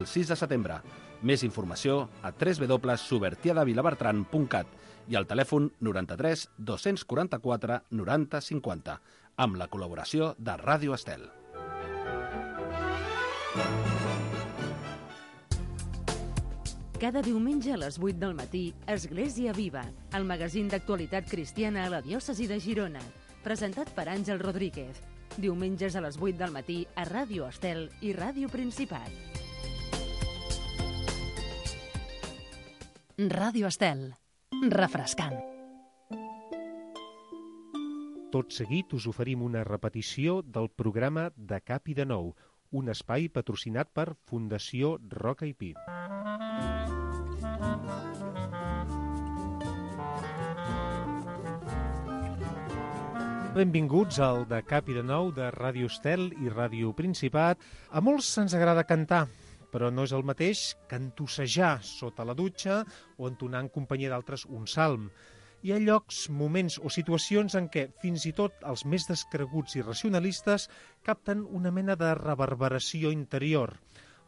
El 6 de setembre. Més informació a www.subertiadavilabertran.cat i al telèfon 93 244 90 50, amb la col·laboració de Ràdio Estel. Cada diumenge a les 8 del matí, Església Viva, el magazín d'actualitat cristiana a la diòcesi de Girona, presentat per Àngel Rodríguez. Diumenges a les 8 del matí a Ràdio Estel i Ràdio Principat. Ràdio Estel. Refrescant. Tot seguit us oferim una repetició del programa De Cap i de Nou, un espai patrocinat per Fundació Roca i Pi. Benvinguts al De Cap i de Nou de Ràdio Estel i Ràdio Principat. A molts ens agrada cantar, però no és el mateix cantussejar sota la dutxa o entonar en companyia d'altres un salm. Hi ha llocs, moments o situacions en què fins i tot els més descreguts i racionalistes capten una mena de reverberació interior.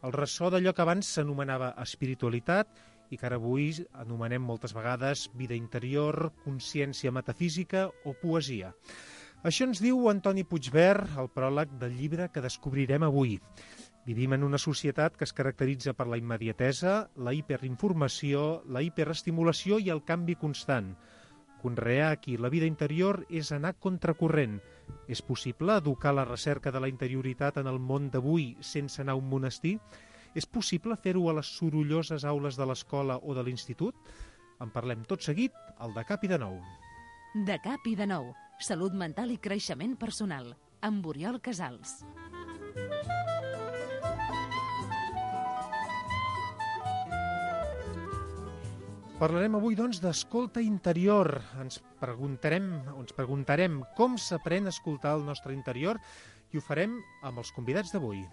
El ressò d'allò que abans s'anomenava espiritualitat i que ara avui anomenem moltes vegades vida interior, consciència metafísica o poesia. Això ens diu Antoni Puigvert al pròleg del llibre que descobrirem avui. Vivim en una societat que es caracteritza per la immediatesa, la hiperinformació, la hiperestimulació i el canvi constant. Conrear aquí la vida interior és anar contracorrent. És possible educar la recerca de la interioritat en el món d'avui sense anar a un monestir? És possible fer-ho a les sorolloses aules de l'escola o de l'institut? En parlem tot seguit al De Cap i de Nou. De Cap i de Nou. Salut mental i creixement personal. Amb Oriol Casals. Parlarem avui, doncs, d'escolta interior. Ens preguntarem com s'aprèn a escoltar el nostre interior i ho farem amb els convidats d'avui.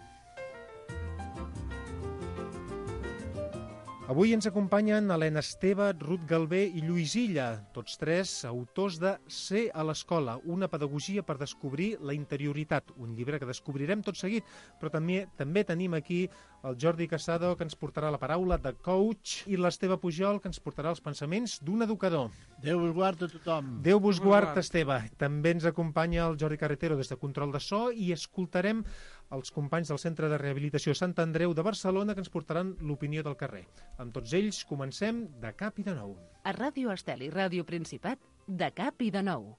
Avui ens acompanyen Helena Esteve, Ruth Galvé i Lluís Illa, tots tres autors de Ser a l'escola, una pedagogia per descobrir la interioritat, un llibre que descobrirem tot seguit, però també tenim aquí el Jordi Casado, que ens portarà la paraula de coach, i l'Esteve Pujol, que ens portarà els pensaments d'un educador. Déu vos guard a tothom. Déu vos guard, Esteve. També ens acompanya el Jordi Carretero des de Control de So i escoltarem els companys del Centre de Rehabilitació Sant Andreu de Barcelona que ens portaran l'opinió del carrer. Amb tots ells comencem De Cap i de Nou. A Ràdio Estel i Ràdio Principat, De Cap i de Nou.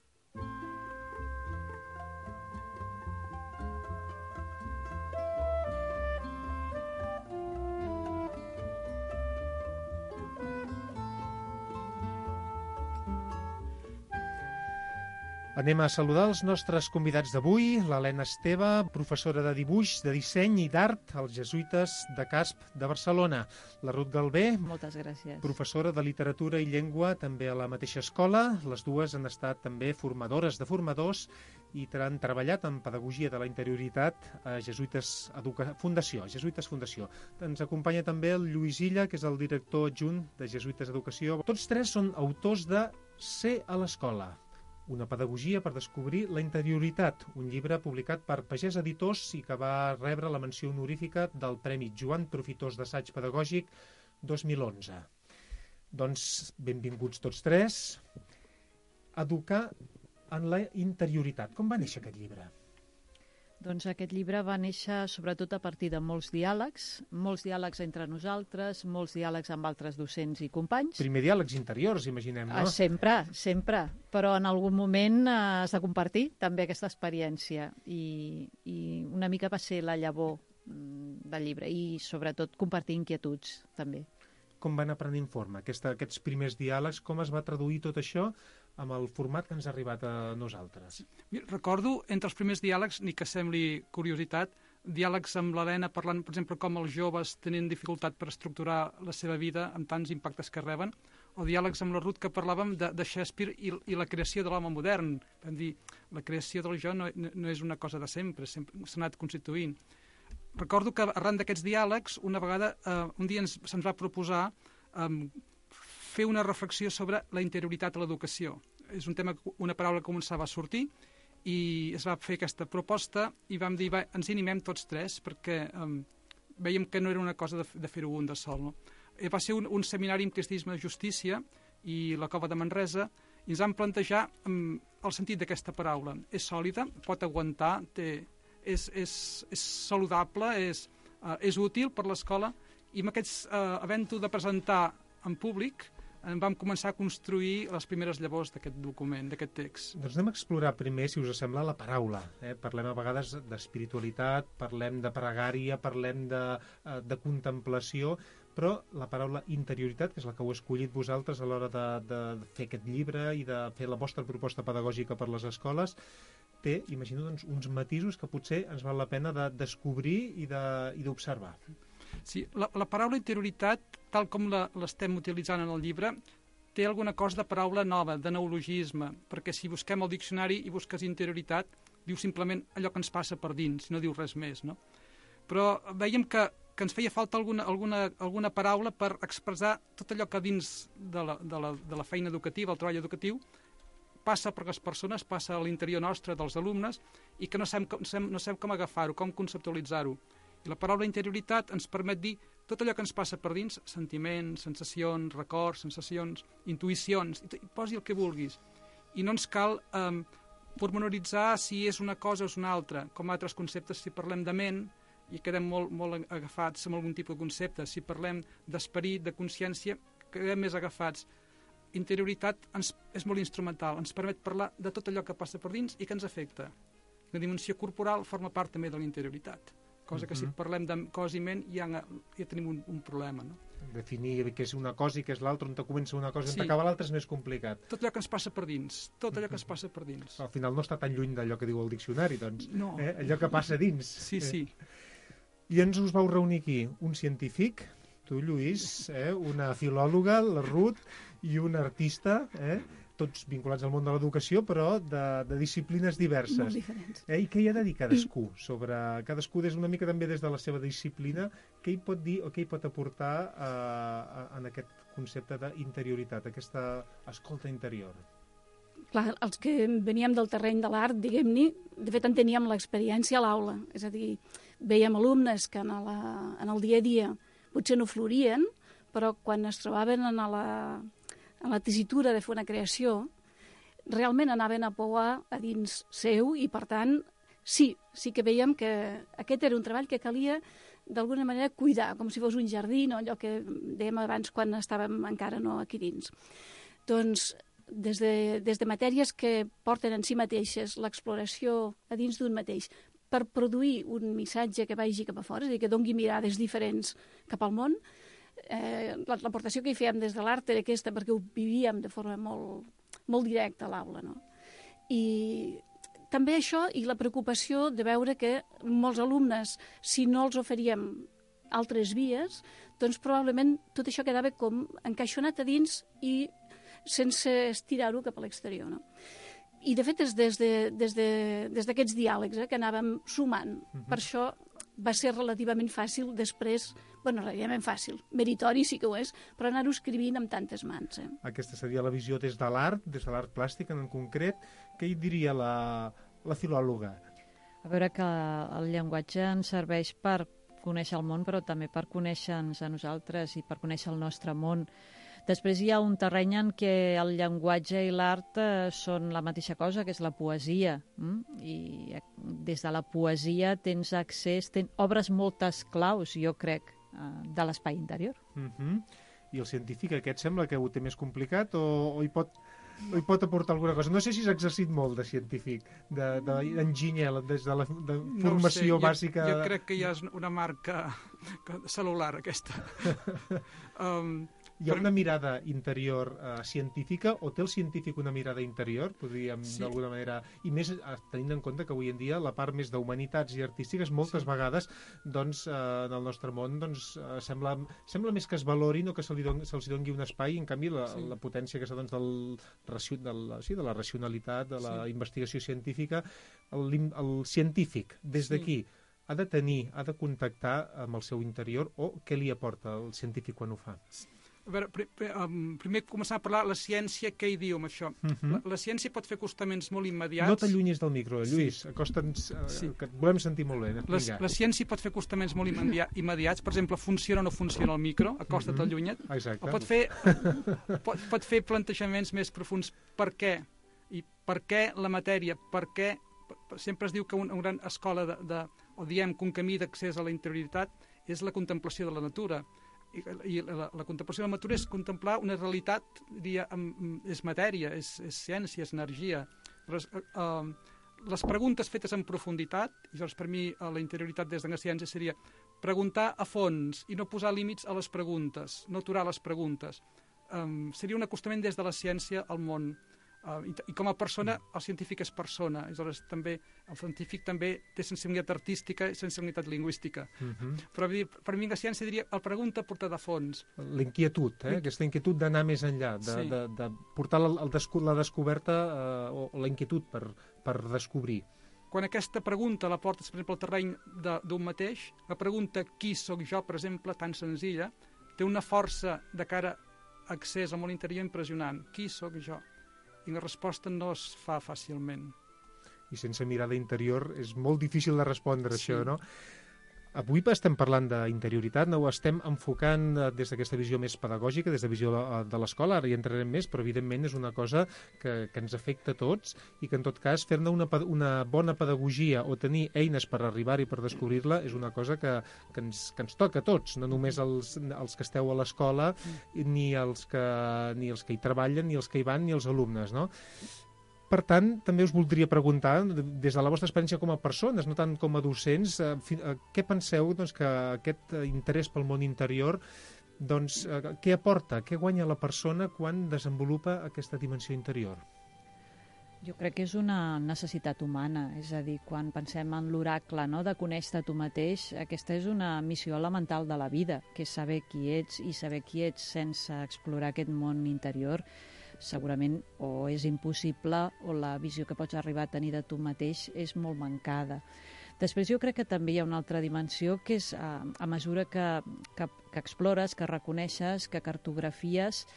Anem a saludar els nostres convidats d'avui, l'Helena Esteve, professora de dibuix, de disseny i d'art als Jesuïtes de Casp de Barcelona. La Ruth Galvé, moltes gràcies, professora de literatura i llengua també a la mateixa escola. Les dues han estat també formadores de formadors i han treballat en pedagogia de la interioritat a Jesuïtes Fundació. Ens acompanya també el Lluís Illa, que és el director adjunt de Jesuïtes Educació. Tots tres són autors de Ser a l'escola, una pedagogia per descobrir la interioritat, un llibre publicat per Pagès Editors i que va rebre la menció honorífica del Premi Joan Profitós d'Assaig Pedagògic 2011. Doncs benvinguts tots tres. Educar en la interioritat. Com va néixer aquest llibre? Doncs aquest llibre va néixer sobretot a partir de molts diàlegs entre nosaltres, molts diàlegs amb altres docents i companys. Primer diàlegs interiors, imaginem, no? Sempre, però en algun moment has de compartir també aquesta experiència i una mica va ser la llavor del llibre i sobretot compartir inquietuds també. Com van aprenent forma aquests primers diàlegs, com es va traduir tot això amb el format que ens ha arribat a nosaltres? Recordo, entre els primers diàlegs, ni que sembli curiositat, diàlegs amb l'Helena parlant, per exemple, com els joves tenen dificultat per estructurar la seva vida amb tants impactes que reben, o diàlegs amb la Ruth que parlàvem de Shakespeare i la creació de l'home modern. Vam dir, la creació del jo no és una cosa de sempre s'ha anat constituint. Recordo que arran d'aquests diàlegs, una vegada, un dia se'ns va proposar fer una reflexió sobre la interioritat a l'educació. És un tema, una paraula que començava a sortir i es va fer aquesta proposta i vam dir, ens hi animem tots tres perquè Vèiem que no era una cosa de fer-ho un de sol. No? Va ser un seminari en cristianisme de justícia i la Cova de Manresa, i ens vam plantejar el sentit d'aquesta paraula. És sòlida, pot aguantar, és saludable, és útil per l'escola, i amb aquests, havent-ho de presentar en públic, vam començar a construir les primeres llavors d'aquest document, d'aquest text. Doncs anem a explorar primer, si us sembla, la paraula. Parlem a vegades d'espiritualitat, parlem de pregària, parlem de contemplació, però la paraula interioritat, que és la que heu escollit vosaltres a l'hora de fer aquest llibre i de fer la vostra proposta pedagògica per les escoles, té, imagino, doncs, uns matisos que potser ens val la pena de descobrir i d'observar. Sí, la paraula interioritat, tal com l'estem utilitzant en el llibre, té alguna cosa de paraula nova, de neologisme, perquè si busquem el diccionari i busques interioritat, diu simplement allò que ens passa per dins, no diu res més, no? Però veiem que ens feia falta alguna paraula per expressar tot allò que dins de la feina educativa, el treball educatiu, passa per les persones, passa a l'interior nostre dels alumnes, i que no sabem com agafar-ho, com conceptualitzar-ho. I la paraula interioritat ens permet dir tot allò que ens passa per dins, sentiments, sensacions, records, sensacions, intuïcions, i posi el que vulguis. I no ens cal pormenoritzar si és una cosa o és una altra, com altres conceptes. Si parlem de ment, i quedem molt agafats amb algun tipus de concepte. Si parlem d'esperit, de consciència, quedem més agafats. Interioritat és molt instrumental, ens permet parlar de tot allò que passa per dins i que ens afecta. La dimensió corporal forma part també de la interioritat. Cosa que si parlem de cos i ment ja tenim un problema. No? Definir què és una cosa i què és l'altra, on comença una cosa i on acaba l'altra és més complicat. Tot allò que ens passa per dins, tot allò que ens passa per dins. Al final no està tan lluny d'allò que diu el diccionari, doncs. No. Allò que passa dins. Sí. I ens us vau reunir aquí un científic, tu, Lluís, una filòloga, la Ruth, i un artista, tots vinculats al món de l'educació, però de disciplines diverses. Molt diferents. I què hi ha de dir cadascú? Cadascú des una mica també des de la seva disciplina, què hi pot dir o què hi pot aportar en aquest concepte d'interioritat, aquesta escolta interior? Clar, els que veníem del terreny de l'art, diguem-ne, de fet en teníem l'experiència a l'aula. És a dir, veiem alumnes que en el dia a dia potser no florien, però quan es trobaven en la tessitura de fer una creació, realment anaven a pouar a dins seu i, per tant, sí que veiem que aquest era un treball que calia d'alguna manera cuidar, com si fos un jardí, no? Allò que dèiem abans quan estàvem encara no aquí dins. Doncs des de matèries que porten en si mateixes l'exploració a dins d'un mateix per produir un missatge que vagi cap a fora, és a dir, que dongui mirades diferents cap al món. L'aportació que hi fèiem des de l'art era aquesta, perquè ho vivíem de forma molt directa a l'aula, no? I també això i la preocupació de veure que molts alumnes, si no els oferíem altres vies, doncs probablement tot això quedava com encaixonat a dins i sense estirar-ho cap a l'exterior, no? I de fet és des d'aquests diàlegs que anàvem sumant. Per això va ser relativament fàcil després, relativament fàcil, meritori sí que ho és, però anar-ho escrivint amb tantes mans. Aquesta seria la visió des de l'art plàstic en concret. Què hi diria la filòloga? A veure, que el llenguatge ens serveix per conèixer el món, però també per conèixer-nos a nosaltres i per conèixer el nostre món. Després hi ha un terreny en què el llenguatge i l'art són la mateixa cosa, que és la poesia. I des de la poesia tens accés, obres moltes claus, jo crec, de l'espai interior. I el científic aquest sembla que ho té més complicat o hi pot aportar alguna cosa? No sé si s'ha exercit molt de científic, d'enginyer, des de la formació bàsica. Jo crec que ja és una marca cel·lular, aquesta. Hi ha una mirada interior científica, o té el científic una mirada interior, podríem d'alguna manera, i més tenint en compte que avui en dia la part més d'humanitats i artístiques moltes vegades doncs, en el nostre món doncs, sembla més que es valorin o que se'ls doni un espai, en canvi la potència que doncs, de la racionalitat, de la investigació científica, el científic des d'aquí ha de contactar amb el seu interior, o què li aporta el científic quan ho fa? A veure, primer començar a parlar la ciència, què hi diu amb això. La ciència pot fer acostaments molt immediats. No t'allunyis del micro, Lluís. Sí. Acosta'ns, que et volem sentir molt bé. La ciència pot fer acostaments molt immediats. Per exemple, funciona o no funciona el micro, acosta't, allunya't. Exacte. O pot fer plantejaments més profuns. Per què? I per què la matèria? Per què? Sempre es diu que una gran escola o diem que un camí d'accés a la interioritat és la contemplació de la natura. I la contemplació de la natura és contemplar una realitat, diria, és matèria, és ciència, és energia. Les preguntes fetes en profunditat, i llavors per mi la interioritat des de la ciència seria preguntar a fons i no posar límits a les preguntes, no aturar les preguntes. Seria un acostament des de la ciència al món. I com a persona, el científic és persona. Aleshores, també, el científic també té sensibilitat artística i sensibilitat lingüística. Però per mi la ciència diria la pregunta portada a fons. L'inquietud, aquesta inquietud d'anar més enllà, de portar la descoberta o la inquietud per descobrir. Quan aquesta pregunta la portes, per exemple, al terreny d'un mateix, la pregunta qui sóc jo, per exemple, tan senzilla, té una força de cara a accés al món interior impressionant. Qui sóc jo? I la resposta no es fa fàcilment. I sense mirada interior és molt difícil de respondre això, no? Avui estem parlant d'interioritat, no ho estem enfocant des d'aquesta visió més pedagògica, des de visió de l'escola, ara hi entrarem més, però evidentment és una cosa que ens afecta a tots i que en tot cas fer-ne una bona pedagogia o tenir eines per arribar-hi, per descobrir-la, és una cosa que ens toca a tots, no només els que esteu a l'escola, ni els que hi treballen, ni els que hi van, ni els alumnes, no? Per tant, també us voldria preguntar, des de la vostra experiència com a persones, no tant com a docents, què penseu que aquest interès pel món interior, què aporta, què guanya la persona quan desenvolupa aquesta dimensió interior? Jo crec que és una necessitat humana, és a dir, quan pensem en l'oracle, no?, de conèixer tu mateix, aquesta és una missió elemental de la vida, que és saber qui ets i saber qui ets sense explorar aquest món interior. Segurament o és impossible o la visió que pots arribar a tenir de tu mateix és molt mancada. Després jo crec que també hi ha una altra dimensió que és a mesura que explores, que reconeixes, que cartografies,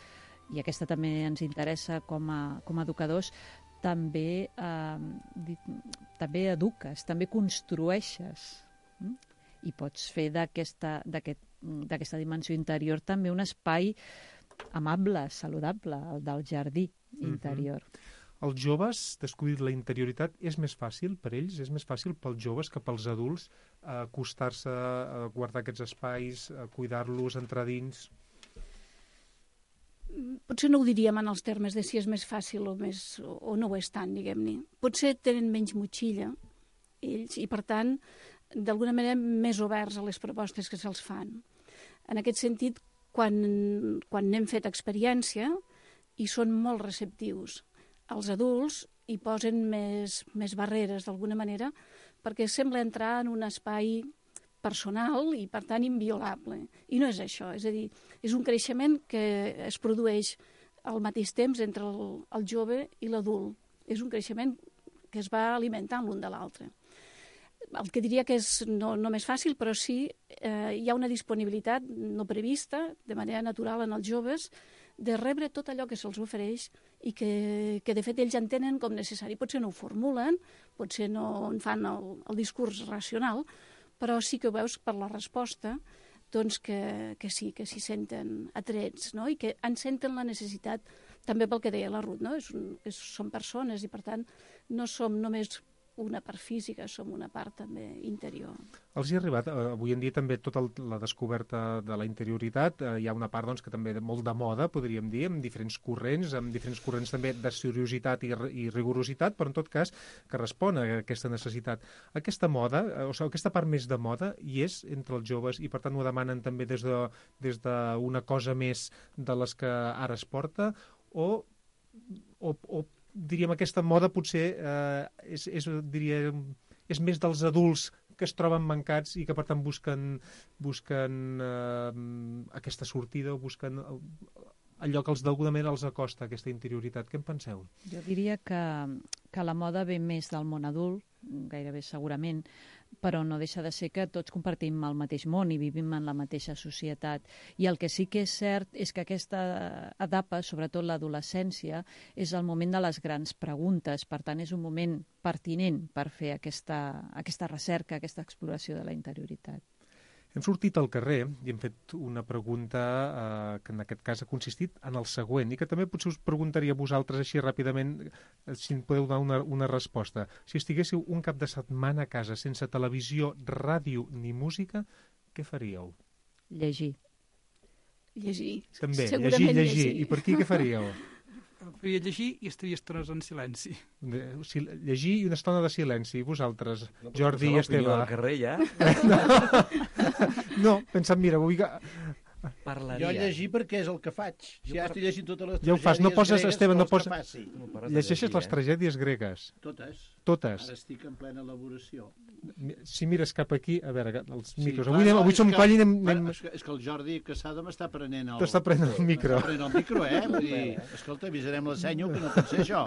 i aquesta també ens interessa com a educadors, també eduques, també construeixes. I pots fer d'aquesta dimensió interior també un espai amable, saludable, el del jardí interior. Els joves, descobrir la interioritat, és més fàcil per ells? És més fàcil pels joves que pels adults acostar-se, a guardar aquests espais, a cuidar-los, entrar dins? Potser no ho diríem en els termes de si és més fàcil o no ho és tant, diguem-ne. Potser tenen menys motxilla, ells, i per tant, d'alguna manera, més oberts a les propostes que se'ls fan. En aquest sentit, quan n'hem fet experiència i són molt receptius. Els adults hi posen més barreres, d'alguna manera, perquè sembla entrar en un espai personal i, per tant, inviolable. I no és això, és a dir, és un creixement que es produeix al mateix temps entre el jove i l'adult. És un creixement que es va alimentant l'un de l'altre. El que diria que és no més fàcil, però sí hi ha una disponibilitat no prevista, de manera natural en els joves, de rebre tot allò que se'ls ofereix i que de fet ells entenen com necessari. Potser no ho formulen, potser no en fan el discurs racional, però sí que ho veus per la resposta, doncs que sí, que s'hi senten atrets, no? I que en senten la necessitat, també pel que deia la Ruth, no? Som persones i per tant no som només una part física, som una part també interior. Els hi ha arribat, avui en dia també tota la descoberta de la interioritat, hi ha una part doncs, que també molt de moda, podríem dir, amb diferents corrents també de seriositat i rigorositat, però en tot cas que respon a aquesta necessitat. Aquesta moda, o sigui, aquesta part més de moda, hi és entre els joves i per tant ho demanen també des d'una cosa més de les que ara es porta, o diríem, aquesta moda potser és més dels adults que es troben mancats i que per tant busquen aquesta sortida o busquen allò que d'alguna manera els acosta, aquesta interioritat. Què en penseu? Jo diria que la moda ve més del món adult, gairebé segurament, però no deixa de ser que tots compartim el mateix món i vivim en la mateixa societat. I el que sí que és cert és que aquesta etapa, sobretot l'adolescència, és el moment de les grans preguntes. Per tant, és un moment pertinent per fer aquesta recerca, aquesta exploració de la interioritat. Hem sortit al carrer i hem fet una pregunta que en aquest cas ha consistit en el següent i que també potser us preguntaria a vosaltres així ràpidament si en podeu donar una resposta. Si estiguéssiu un cap de setmana a casa sense televisió, ràdio ni música, què faríeu? Llegir. Llegir. També, Segurament llegir. I per aquí què faríeu? Faria llegir i estaria estones en silenci. Llegir i una estona de silenci. I vosaltres, Jordi i Esteve? Del carrer, ja? No, pensant, mira, vull que... Jo llegir perquè és el que faig. Si ja estic llegint totes les Ja ho fas, no poses, gregues, Esteve, no vols que poses... faci? Llegeixes les tragèdies gregues. Totes. Totes. Ara estic en plena elaboració. Si mires cap aquí, a veure, els micros. clar, Avui som coll i anem... Bueno, és que el Jordi Casada m'està prenent el... T'està prenent el micro. M'està prenent el micro, Vull dir, escolta, avisarem la senyo que no pot ser això.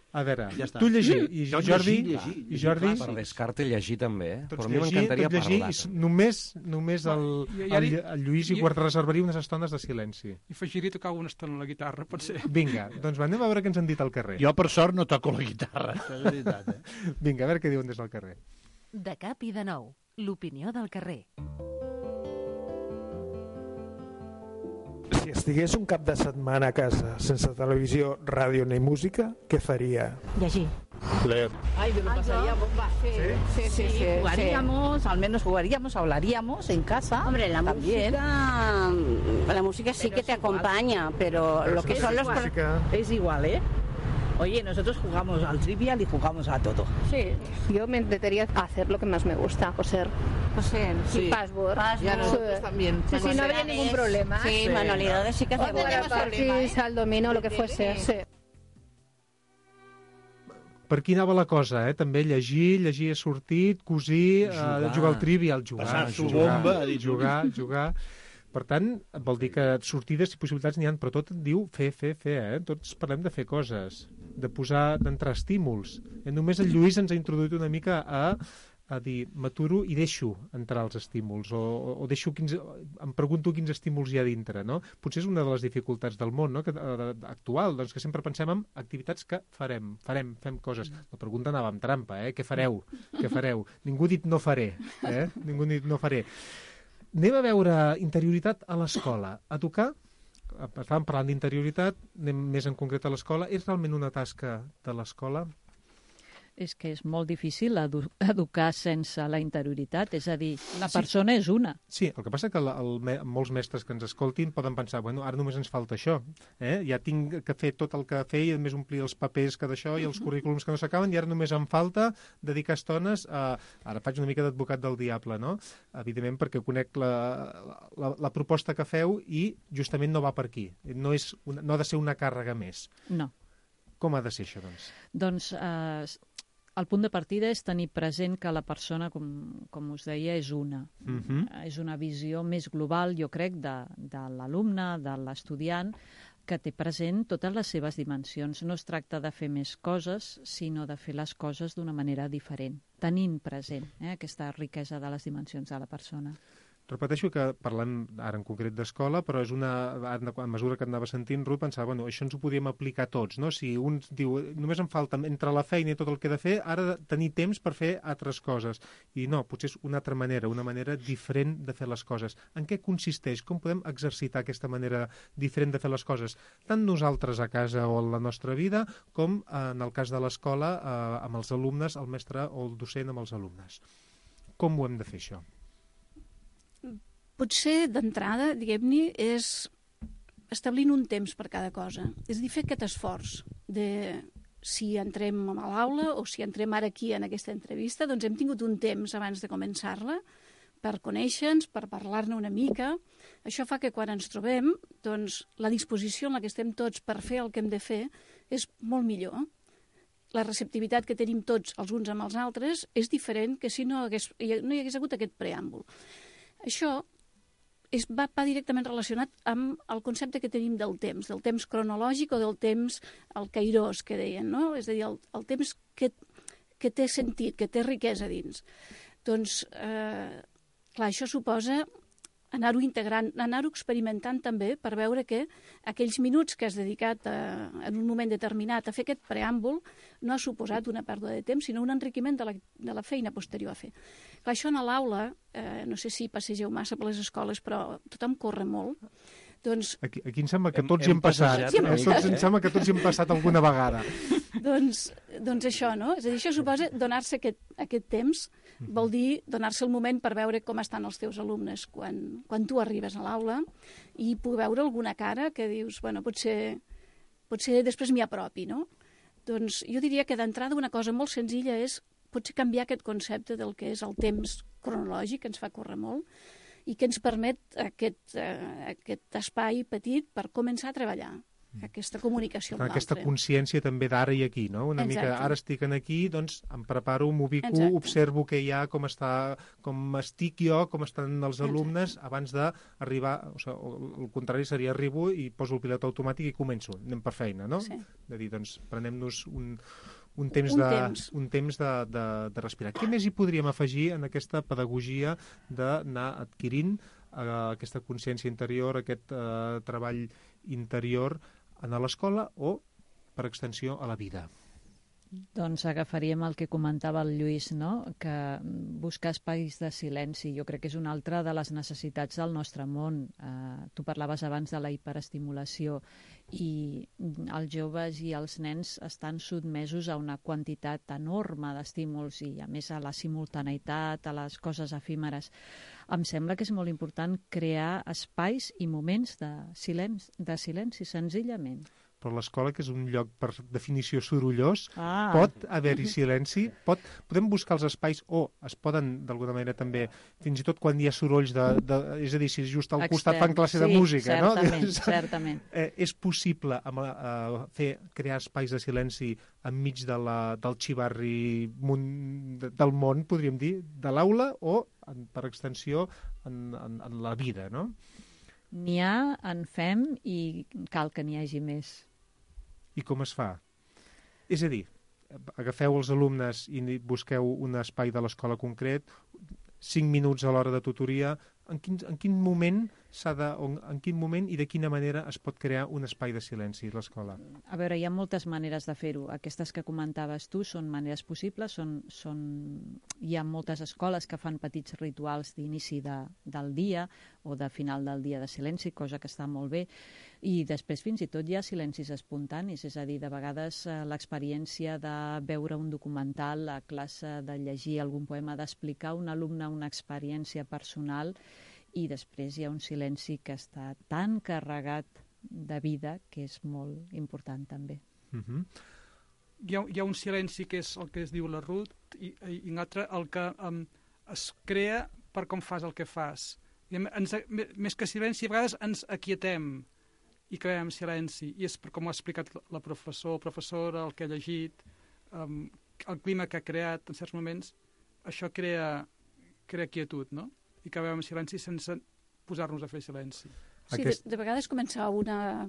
A veure, ja està. Tu llegir, i Jo Jordi... llegir, I Jordi... Per descarte llegir també, Tots però a mi llegir, m'encantaria tot llegir, parlar. i només el Lluís hi reservaria unes estones de silenci. I afegiria tocar una estona a la guitarra, pot ser. Vinga, doncs anem a veure què ens han dit al carrer. Jo, per sort, no toco la guitarra. Això és veritat, Vinga, a veure què diuen des del carrer. De cap i de nou, l'opinió del carrer. Si estigués un cap de setmana a casa sense televisió, ràdio ni música, què faria? Llegir. Leer. Ay, yo lo pasaría bomba. Sí. Jugaríamos, al menos jugaríamos, hablaríamos en casa. Hombre, la también. música sí que te acompaña, pero lo que son los... Es igual, ¿eh? Oye, nosotros jugamos al trivial y jugamos a todo. Sí, yo me intentaría hacer lo que más me gusta, coser. Coser, sí. Password. Y a nosotros también. Sí, no habría ningún problema. Sí, manualidades sí que hacemos. Partis, al dominó, lo que fuese, sí. Per aquí anava la cosa, També llegir és sortit, cosir, jugar al trivial, Passar-s'ho bomba, jugar. Per tant, vol dir que sortides i possibilitats n'hi ha, però tot et diu fer, Tots parlem de fer coses, d'entrar estímuls. Només el Lluís ens ha introduït una mica a dir, m'aturo i deixo entrar els estímuls, o deixo em pregunto quins estímuls hi ha dintre, no? Potser és una de les dificultats del món, no? Actual, doncs que sempre pensem en activitats que fem coses. La pregunta anava amb trampa, Què fareu? Ningú ha dit no faré, Ningú ha dit no faré. Anem a veure interioritat a l'escola. A tocar, estàvem parlant d'interioritat, anem més en concret a l'escola. És realment una tasca de l'escola? És que és molt difícil educar sense la interioritat, és a dir, la persona és una. Sí, el que passa que molts mestres que ens escoltin poden pensar, bueno, ara només ens falta això, ja tinc que fer tot el que fer i a més omplir els papers que d'això i els currículums que no s'acaben i ara només em falta dedicar estones a... Ara faig una mica d'advocat del diable, no? Evidentment perquè conec la proposta que feu i justament no va per aquí. No ha de ser una càrrega més. No. Com ha de ser això, doncs? Doncs el punt de partida és tenir present que la persona, com us deia, és una. És una visió més global, jo crec, de l'alumne, de l'estudiant, que té present totes les seves dimensions. No es tracta de fer més coses, sinó de fer les coses d'una manera diferent, tenint present aquesta riquesa de les dimensions de la persona. Repeteixo que parlem ara en concret d'escola, però és a mesura que anava sentint, Ruth, pensava, això ens ho podíem aplicar tots, no? Si un diu, només em falta entre la feina i tot el que he de fer, ara tenir temps per fer altres coses. I no, potser és una altra manera, una manera diferent de fer les coses. En què consisteix? Com podem exercitar aquesta manera diferent de fer les coses? Tant nosaltres a casa o en la nostra vida, com en el cas de l'escola amb els alumnes, el mestre o el docent amb els alumnes. Com ho hem de fer, això? Potser d'entrada, diguem-ne, és establint un temps per cada cosa. És a dir, fer aquest esforç de si entrem a l'aula o si entrem ara aquí en aquesta entrevista, doncs hem tingut un temps abans de començar-la per conèixer-nos, per parlar-ne una mica. Això fa que quan ens trobem, doncs la disposició en la que estem tots per fer el que hem de fer és molt millor. La receptivitat que tenim tots els uns amb els altres és diferent que si no hi hagués hagut aquest preàmbul. Això va directament relacionat amb el concepte que tenim del temps cronològic o del temps, el kairos, que deien, no? És a dir, el temps que que té sentit, que té riquesa dins. Doncs, clar, això suposa anar-ho integrant, anar-ho experimentant també per veure que aquells minuts que has dedicat en un moment determinat a fer aquest preàmbul no ha suposat una pèrdua de temps, sinó un enriquiment de la feina posterior a fer. Clar, això a l'aula, no sé si passegeu massa per les escoles, però tothom corre molt. Doncs... Aquí em sembla que tots hi hem passat. Em sembla que tots hi hem passat alguna vegada. Doncs això, no? És a dir, això suposa donar-se aquest temps, vol dir donar-se el moment per veure com estan els teus alumnes quan tu arribes a l'aula i poder veure alguna cara que dius, bueno, potser després m'hi apropi, no? Doncs jo diria que d'entrada una cosa molt senzilla és potser canviar aquest concepte del que és el temps cronològic, que ens fa córrer molt, i que ens permet aquest espai petit per començar a treballar aquesta comunicació amb l'altre. Aquesta consciència també d'ara i aquí, no? Una mica, ara estic aquí, doncs em preparo, m'ubico, observo què hi ha, com estic jo, com estan els alumnes, abans d'arribar, o sigui, el contrari seria arribo i poso el pilot automàtic i començo, anem per feina, no? Sí. De dir, doncs, prenem-nos un temps de respirar. Què més hi podríem afegir en aquesta pedagogia d'anar adquirint aquesta consciència interior, aquest treball interior a l'escola o, per extensió, a la vida? Doncs agafaríem el que comentava el Lluís, no? Que buscar espais de silenci jo crec que és una altra de les necessitats del nostre món. Tu parlaves abans de la hiperestimulació i els joves i els nens estan sotmesos a una quantitat enorme d'estímuls i a més a la simultaneïtat, a les coses efímeres. Em sembla que és molt important crear espais i moments de silenci senzillament. Però l'escola, que és un lloc per definició sorollós, pot haver-hi silenci, podem buscar els espais o es poden, d'alguna manera també, fins i tot quan hi ha sorolls, és a dir, si just al costat fan classe de música, no? Certament. És possible crear espais de silenci enmig del xivarri del món, podríem dir, de l'aula o, per extensió, en la vida, no? N'hi ha, en fem i cal que n'hi hagi més. I com es fa? És a dir, agafeu els alumnes i busqueu un espai de l'escola concret, 5 minuts a l'hora de tutoria, en quin moment i de quina manera es pot crear un espai de silenci a l'escola? A veure, hi ha moltes maneres de fer-ho. Aquestes que comentaves tu són maneres possibles, hi ha moltes escoles que fan petits rituals d'inici del dia o de final del dia de silenci, cosa que està molt bé, i després fins i tot hi ha silencis espontanis, és a dir, de vegades l'experiència de veure un documental a classe, de llegir algun poema, d'explicar a un alumne una experiència personal, i després hi ha un silenci que està tan carregat de vida que és molt important també. Hi ha un silenci que és el que es diu la Ruth i un altre el que es crea per com fas el que fas. Més que silenci, a vegades ens aquietem i creem silenci, i és per com ho ha explicat la professora, el que ha llegit, el clima que ha creat en certs moments, això crea quietud, no? I acabem en silenci sense posar-nos a fer silenci. Sí, de vegades començar una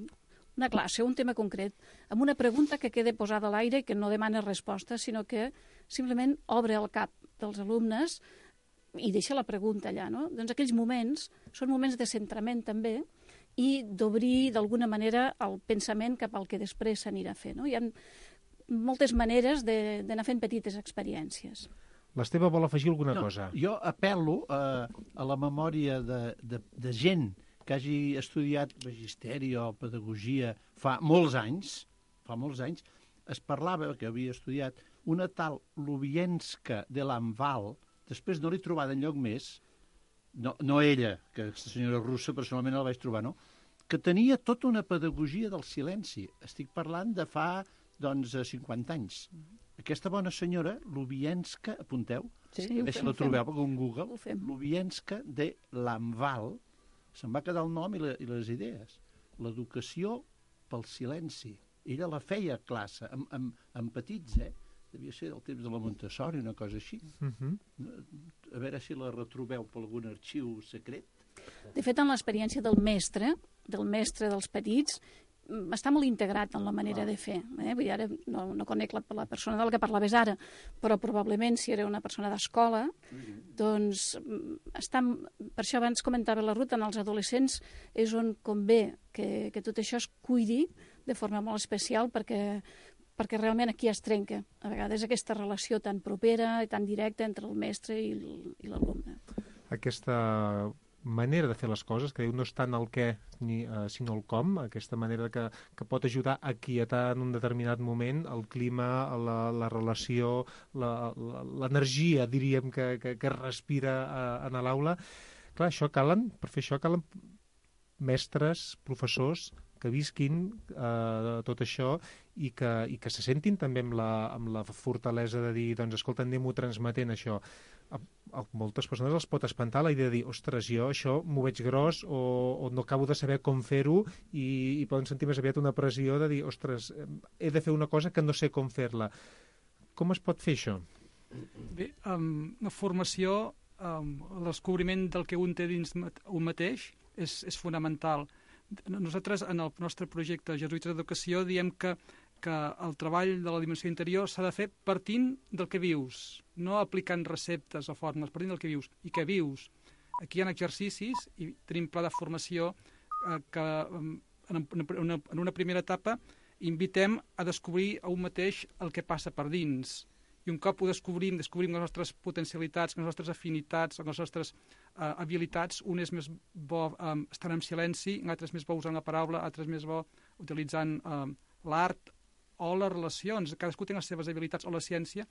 classe, un tema concret, amb una pregunta que quede posada a l'aire i que no demana resposta, sinó que simplement obre el cap dels alumnes i deixa la pregunta allà, no? Doncs aquells moments són moments de centrament també i d'obrir d'alguna manera el pensament cap al que després s'anirà a fer, no? Hi ha moltes maneres d'anar fent petites experiències. L'Esteve vol afegir alguna cosa. Jo apel·lo a la memòria de gent que hagi estudiat magisteri o pedagogia fa molts anys, es parlava, que havia estudiat, una tal Lubienska de Lamval, després no l'he trobat enlloc més, no ella, que aquesta senyora russa personalment la vaig trobar, no? Que tenia tota una pedagogia del silenci. Estic parlant de fa, 50 anys. Aquesta bona senyora, Lubienska, apunteu, si la trobeu per un Google, Lubienska de Lamval, se'n va quedar el nom i les idees. L'educació pel silenci. Ella la feia a classe, amb petits, devia ser del temps de la Montessori, una cosa així. A veure si la retrobeu per algun arxiu secret. De fet, en l'experiència del mestre dels petits, està molt integrat en la manera de fer. Vull dir, ara no conec la persona de la que parlaves ara, però probablement si era una persona d'escola, doncs per això abans comentava la Ruth, en els adolescents és on convé que tot això es cuidi de forma molt especial perquè realment aquí es trenca a vegades aquesta relació tan propera i tan directa entre el mestre i l'alumne. Aquesta manera de fer les coses, que diu no és tant el què sinó el com, aquesta manera que pot ajudar a quietar en un determinat moment el clima, la relació, l'energia, diríem, que respira en l'aula. Clar, per fer això calen mestres, professors que visquin tot això i que se sentin també amb la fortalesa de dir, doncs, escolta, anem-ho transmetent això. A moltes persones els pot espantar la idea de dir, ostres, jo això m'ho veig gros o no acabo de saber com fer-ho i poden sentir més aviat una pressió de dir, ostres, he de fer una cosa que no sé com fer-la. Com es pot fer això? Bé, la formació, el descobriment del que un té dins un mateix és fonamental. Nosaltres, en el nostre projecte Jesuïtes d'Educació, diem que el treball de la dimensió interior s'ha de fer partint del que vius, no aplicant receptes o fórmules, partint del que vius. I què vius? Aquí hi ha exercicis i tenim pla de formació que en una primera etapa invitem a descobrir a un mateix el que passa per dins. I un cop ho descobrim les nostres potencialitats, les nostres afinitats, les nostres habilitats, un és més bo estar en silenci, l'altre és més bo usant la paraula, l'altre és més bo utilitzant l'art o les relacions. Cadascú té les seves habilitats o la ciència,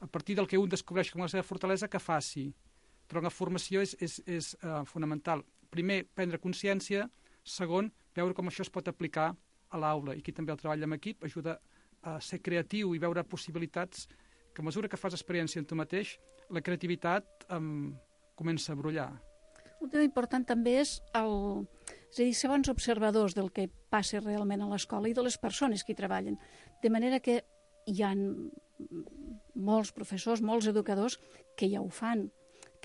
a partir del que un descobreix com la seva fortalesa, que faci. Però la formació és fonamental. Primer, prendre consciència. Segon, veure com això es pot aplicar a l'aula. I aquí també el treball en equip ajuda a ser creatiu i veure possibilitats que a mesura que fas experiència en tu mateix, la creativitat comença a brollar. Un tema important també és ser bons observadors del que passa realment a l'escola i de les persones que hi treballen. De manera que hi ha molts professors, molts educadors que ja ho fan,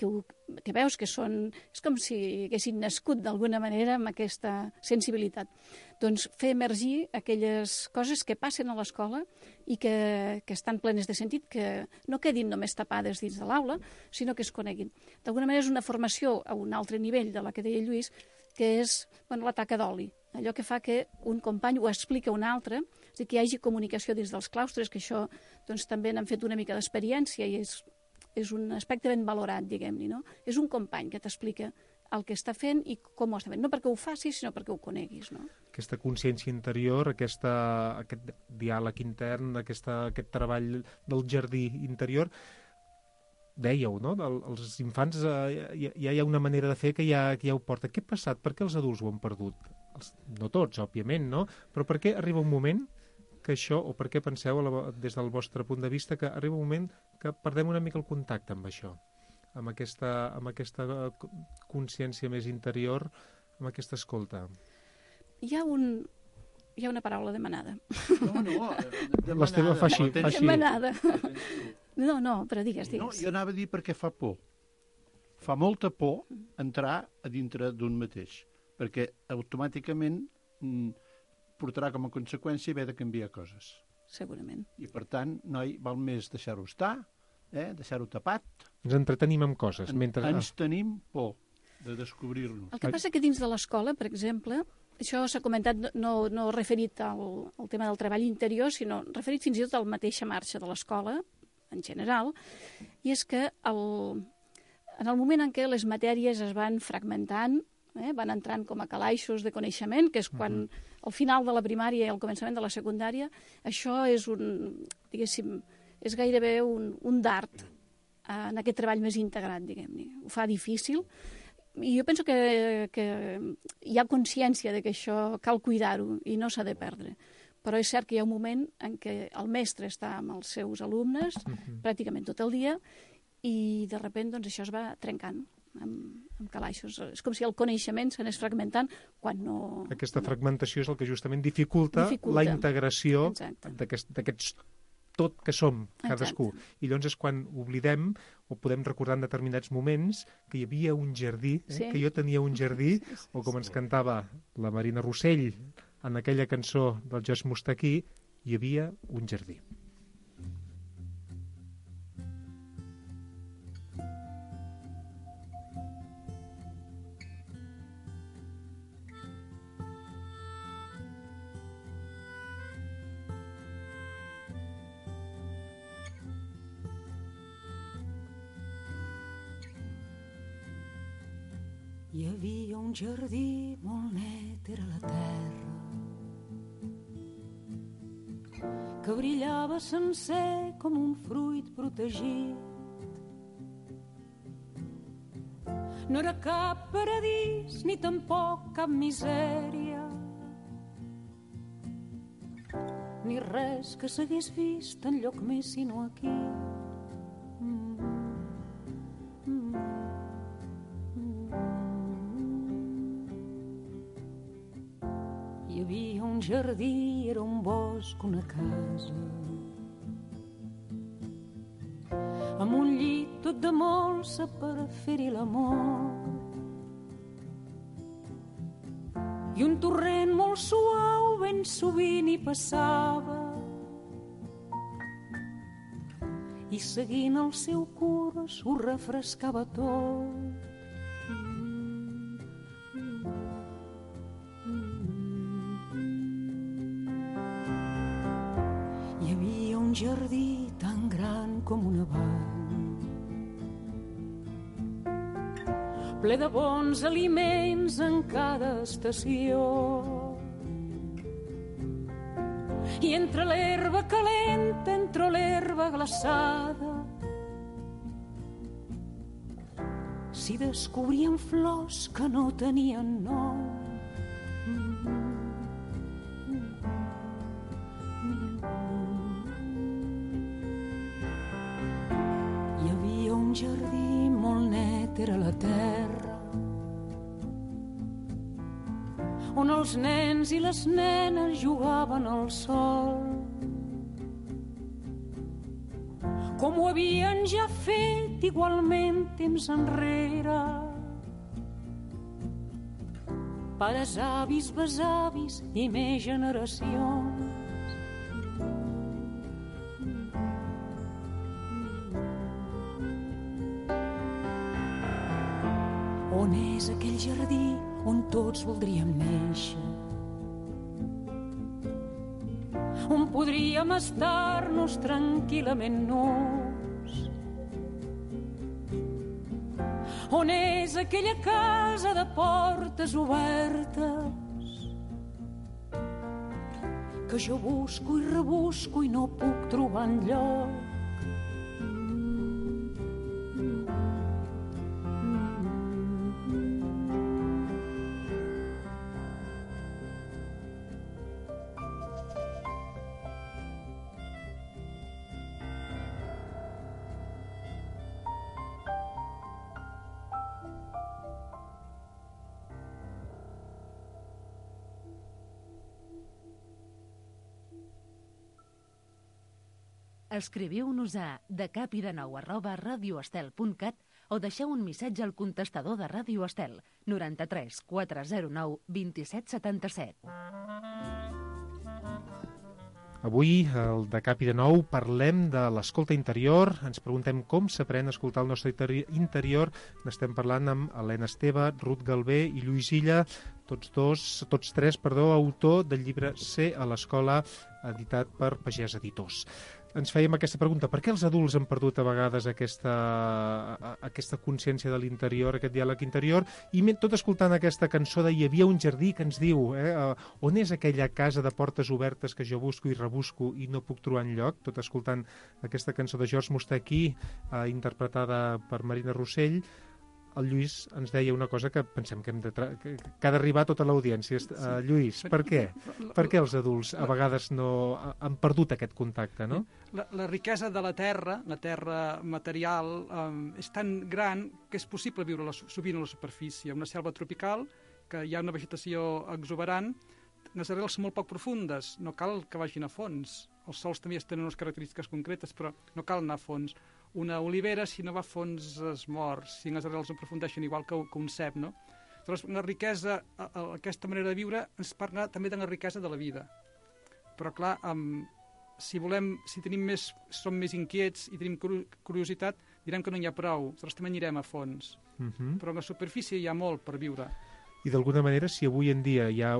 que veus que són... És com si haguessin nascut d'alguna manera amb aquesta sensibilitat. Doncs fer emergir aquelles coses que passen a l'escola i que estan plenes de sentit, que no quedin només tapades dins de l'aula, sinó que es coneguin. D'alguna manera és una formació a un altre nivell de la que deia Lluís, que és la taca d'oli. Allò que fa que un company ho explica a un altre, és a dir, que hi hagi comunicació dins dels claustres, que això doncs, també n'han fet una mica d'experiència i és un aspecte ben valorat, diguem-ne, no? És un company que t'explica el que està fent i com ho està fent. No perquè ho facis, sinó perquè ho coneguis, no? Aquesta consciència interior, aquest diàleg intern, aquest treball del jardí interior, dèieu, no? Els infants ja hi ha una manera de fer que ja ho porta. Què ha passat? Per què els adults ho han perdut? No tots, òbviament, no? Però per què arriba un moment que això, o per què penseu, des del vostre punt de vista, que arriba un moment que perdem una mica el contacte amb això, amb aquesta consciència més interior, amb aquesta escolta? Hi ha una paraula demanada. No, l'Esteve fa així. Demanada. No, però digues. No, jo anava a dir perquè fa por. Fa molta por entrar a dintre d'un mateix, perquè automàticament portarà com a conseqüència haver de canviar coses. Segurament. I per tant, noi, val més deixar-ho estar, deixar-ho tapat. Ens entretenim amb coses. Ens tenim por de descobrir-nos. El que passa que dins de l'escola, per exemple, això s'ha comentat no referit al tema del treball interior, sinó referit fins i tot a la mateixa marxa de l'escola, en general, i és que en el moment en què les matèries es van fragmentant, van entrant com a calaixos de coneixement, que és quan al final de la primària i al començament de la secundària, això és és gairebé un dart en aquest treball més integrat, diguem-ne. Ho fa difícil, i jo penso que hi ha consciència de que això cal cuidar-ho i no s'ha de perdre. Però és cert que hi ha un moment en què el mestre està amb els seus alumnes pràcticament tot el dia i de sobte doncs, això es va trencant amb calaixos. És com si el coneixement s'anés fragmentant quan no... Aquesta fragmentació és el que justament dificulta la integració d'aquests tot que som, cadascú. I llavors és quan oblidem o podem recordar en determinats moments que hi havia un jardí, que jo tenia un jardí, o com ens cantava la Marina Rossell, en aquella cançó del George Mustaquí hi havia un jardí. Hi havia un jardí molt net, era la terra, que brillava sencer com un fruit protegit. No era cap paradís, ni tampoc cap misèria, ni res que s'hagués vist enlloc més sinó aquí. Jardí era un bosc, una casa, amb un llit tot de molsa per fer-hi l'amor, i un torrent molt suau ben sovint hi passava, i seguint el seu curs ho refrescava tot. Jardí tan gran com una vall, ple de bons aliments en cada estació, i entre l'herba calenta, entre l'herba glaçada, s'hi descobrien flors que no tenien nom. Jardí molt net era la terra, on els nens i les nenes jugaven al sol, com ho havien ja fet igualment temps enrere, pares, avis, besavis i més generacions. On és aquell jardí on tots voldríem néixer? On podríem estar-nos tranquil·lament nus? On és aquella casa de portes obertes que jo busco i rebusco i no puc trobar enlloc? Escriviu-nos a decapidenou@radioestel.cat o deixeu un missatge al contestador de Ràdio Estel 93 409 2777. Avui, al De Cap i de Nou, parlem de l'escolta interior. Ens preguntem com s'aprèn a escoltar el nostre interior. N'estem parlant amb Helena Esteve, Ruth Galvé i Lluís Illa, tots tres, autor del llibre Ser a l'escola, editat per Pagès Editors. Ens fèiem aquesta pregunta: per què els adults han perdut a vegades aquesta consciència de l'interior, aquest diàleg interior? I tot escoltant aquesta cançó de Hi havia un jardí, que ens diu on és aquella casa de portes obertes que jo busco i rebusco i no puc trobar enlloc, tot escoltant aquesta cançó de George Mustaquí, interpretada per Marina Rossell. El Lluís ens deia una cosa que pensem que ha d'arribar a tota l'audiència. Lluís, per què? Per què els adults a vegades no han perdut aquest contacte, no? La riquesa de la terra material, és tan gran que és possible viure sovint a la superfície. Una selva tropical, que hi ha una vegetació exuberant, les arrels són molt poc profundes, no cal que vagin a fons. Els sols també tenen unes característiques concretes, però no cal anar a fons. Una olivera, si no va a fons, es mor, si les arrels no aprofundeixen igual que un cep, no? Llavors, la riquesa, aquesta manera de viure, ens parla també de la riquesa de la vida. Però, clar, si som més inquiets i tenim curiositat, direm que no n'hi ha prou. Nosaltres també anirem a fons. Però a la superfície hi ha molt per viure. I d'alguna manera, si avui en dia hi ha,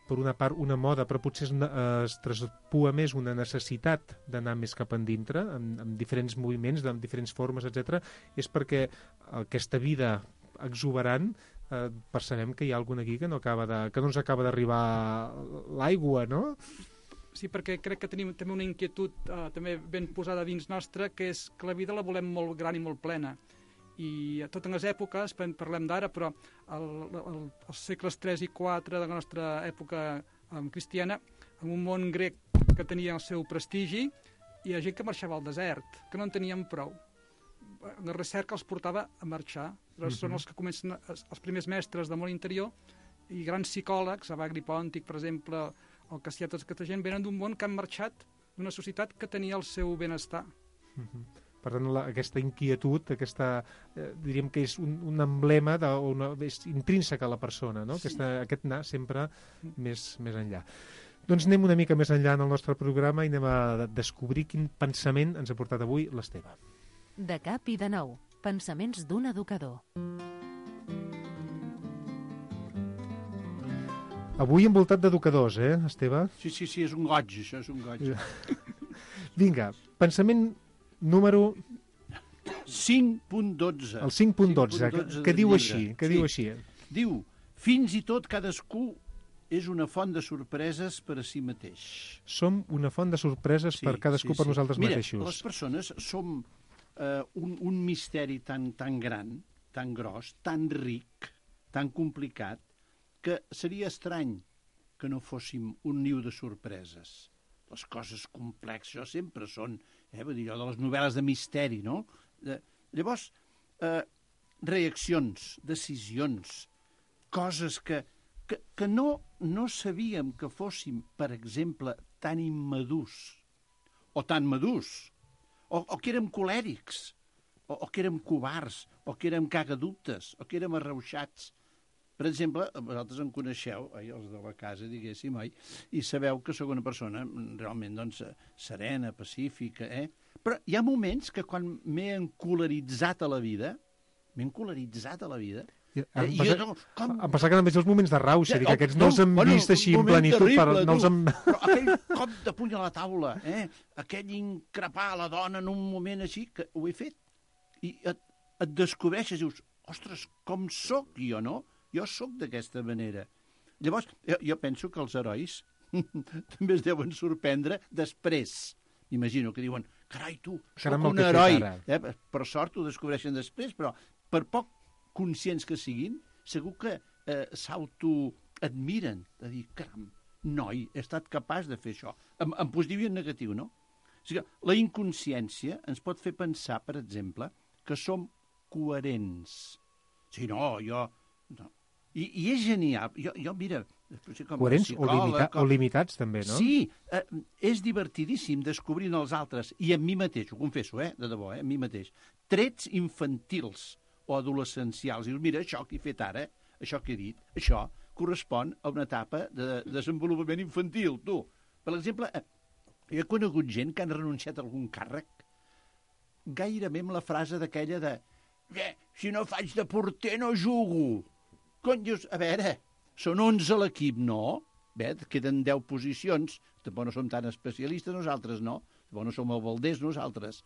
per una part, una moda, però potser es traspua més una necessitat d'anar més cap endintre, amb diferents moviments, amb diferents formes, etc., és perquè aquesta vida exuberant percebem que hi ha algun aquí que no ens acaba d'arribar l'aigua, no? Sí, perquè crec que tenim també una inquietud també ben posada dins nostra, que és que la vida la volem molt gran i molt plena. I a totes les èpoques, parlem d'ara, però als segles 3 i 4 de la nostra època cristiana, en un món grec que tenia el seu prestigi, hi ha gent que marxava al desert, que no en tenien prou. La recerca els portava a marxar. Són els que comencen, els primers mestres del món interior, i grans psicòlegs, Evagri Pòntic, per exemple, o Cassià, tota aquesta gent, venen d'un món que han marxat d'una societat que tenia el seu benestar. Per tant, aquesta inquietud, diríem que és un emblema, és intrínseca a la persona, no? Sí. Aquest anar sempre més enllà. Doncs anem una mica més enllà en el nostre programa i anem a descobrir quin pensament ens ha portat avui l'Esteve. De cap i de nou, pensaments d'un educador. Avui envoltat d'educadors, Esteve? Sí, és un goig, això és un goig. Vinga, pensament número 5.12. El 5.12, que diu així, Diu, fins i tot cadascú és una font de sorpreses per a si mateix. Som una font de sorpreses per cadascú per nosaltres mateixos. Mira, les persones som un misteri tan gran, tan gros, tan ric, tan complicat, que seria estrany que no fóssim un niu de sorpreses. Les coses complexes sempre són, vull dir, allò de les novel·les de misteri, no? Llavors, reaccions, decisions, coses que no sabíem que fóssim, per exemple, tan immadurs, o tan madurs, o que érem colèrics, o que érem covards, o que érem cagadutes, o que érem arrauxats. Per exemple, vosaltres em coneixeu, els de la casa, diguéssim, i sabeu que sóc una persona realment serena, pacífica, Però hi ha moments que quan m'he encoleritzat a la vida, em passa que només els moments de rauxa, que aquests no els hem vist així en plenitud. Però aquell cop de puny a la taula, aquell increpar a la dona en un moment així, que ho he fet. I et descobreixes i dius, ostres, com sóc jo, no? Jo sóc d'aquesta manera. Llavors, jo penso que els herois també es deuen sorprendre després. Imagino que diuen, carai, tu, sóc un heroi. Per sort ho descobreixen després, però per poc conscients que siguin, segur que s'autoadmiren, de dir, caram, noi, he estat capaç de fer això. En positiu i en negatiu, no? O sigui, la inconsciència ens pot fer pensar, per exemple, que som coherents. Sí, no, jo... No. I és genial. Jo mira... Coherents o limitats, també, no? Sí, és divertidíssim descobrint els altres, i en mi mateix, ho confesso, de debò, en mi mateix, trets infantils o adolescencials. Dius, mira, això que he fet ara, això que he dit, això correspon a una etapa de desenvolupament infantil, tu. Per exemple, jo he conegut gent que han renunciat a algun càrrec gairebé amb la frase d'aquella de si no faig de porter no jugo. Cony, dius, a veure, són 11 a l'equip, no? Queden 10 posicions, tampoc no som tan especialistes nosaltres, no? Tampoc no som el Valdés nosaltres.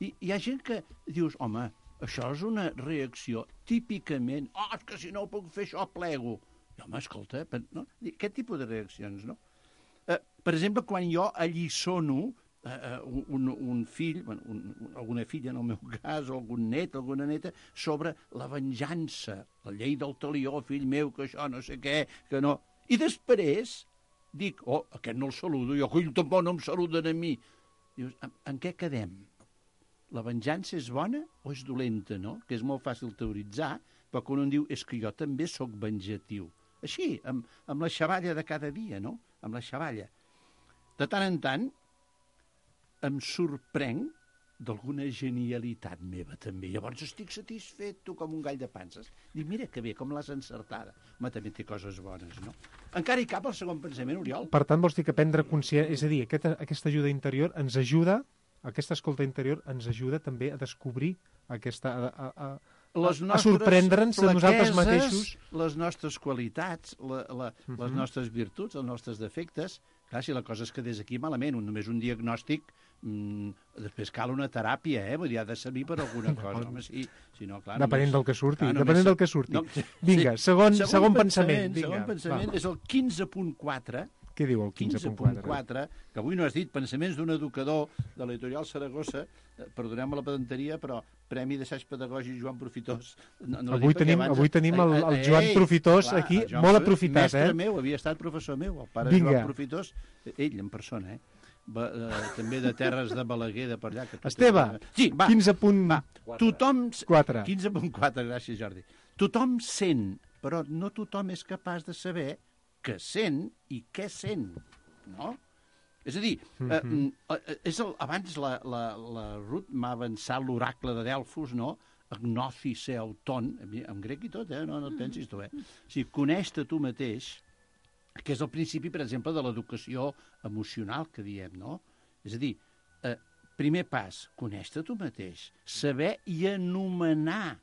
I hi ha gent que dius, home, això és una reacció típicament, és que si no puc fer això plego. I, home, escolta, no? Aquest tipus de reaccions, no? Per exemple, quan jo alliçono un fill, alguna filla en el meu cas, o algun net, alguna neta, sobre la venjança, la llei del talió, fill meu, que això no sé què, que no... I després dic, aquest no el saludo, jo tampoc no em saluden a mi. Dius, en què quedem? La venjança és bona o és dolenta, no? Que és molt fàcil teoritzar, però quan un diu, és que jo també sóc venjatiu. Així, amb la xavalla de cada dia, no? Amb la xavalla. De tant en tant, em sorprenc d'alguna genialitat meva, també. Llavors estic satisfet, tu, com un gall de panses. Dic, mira que bé, com l'has encertada. Home, també té coses bones, no? Encara hi cap el segon pensament, Oriol? Per tant, vols dir que prendre consciència... És a dir, aquesta ajuda interior ens ajuda, aquesta escolta interior ens ajuda també a descobrir aquesta... a sorprendre'ns de nosaltres mateixos. Les nostres qualitats, les nostres virtuts, els nostres defectes. Clar, si la cosa és que des d'aquí malament, només un diagnòstic, després cal una teràpia, vull dir, ha de servir per alguna cosa. Home, sí, si no, clar... Depenent del que surti, depenent del que surti. Vinga, segon pensament. Segon pensament és el 15.4. Què diu el 15.4? Que avui no has dit, pensaments d'un educador de l'editorial Saragossa, perdoneu-me la pedanteria, però Premi d'Assaig Pedagògic Joan Profitós. Avui tenim el Joan Profitós aquí, molt aprofitat. Mestre meu, havia estat professor meu, el pare Joan Profitós, ell en persona, també de Terres de Balaguer, de per allà. Esteve, 15.4. 15.4, gràcies, Jordi. Tothom sent, però no tothom és capaç de saber què sent i què sent, no? És a dir, abans la Ruth m'ha avançat l'oracle de Delfos, no? Agnothi se auton, en grec i tot, no et pensis tu, O sigui, coneix-te tu mateix, que és el principi, per exemple, de l'educació emocional que diem, no? És a dir, primer pas, coneix-te tu mateix, saber i anomenar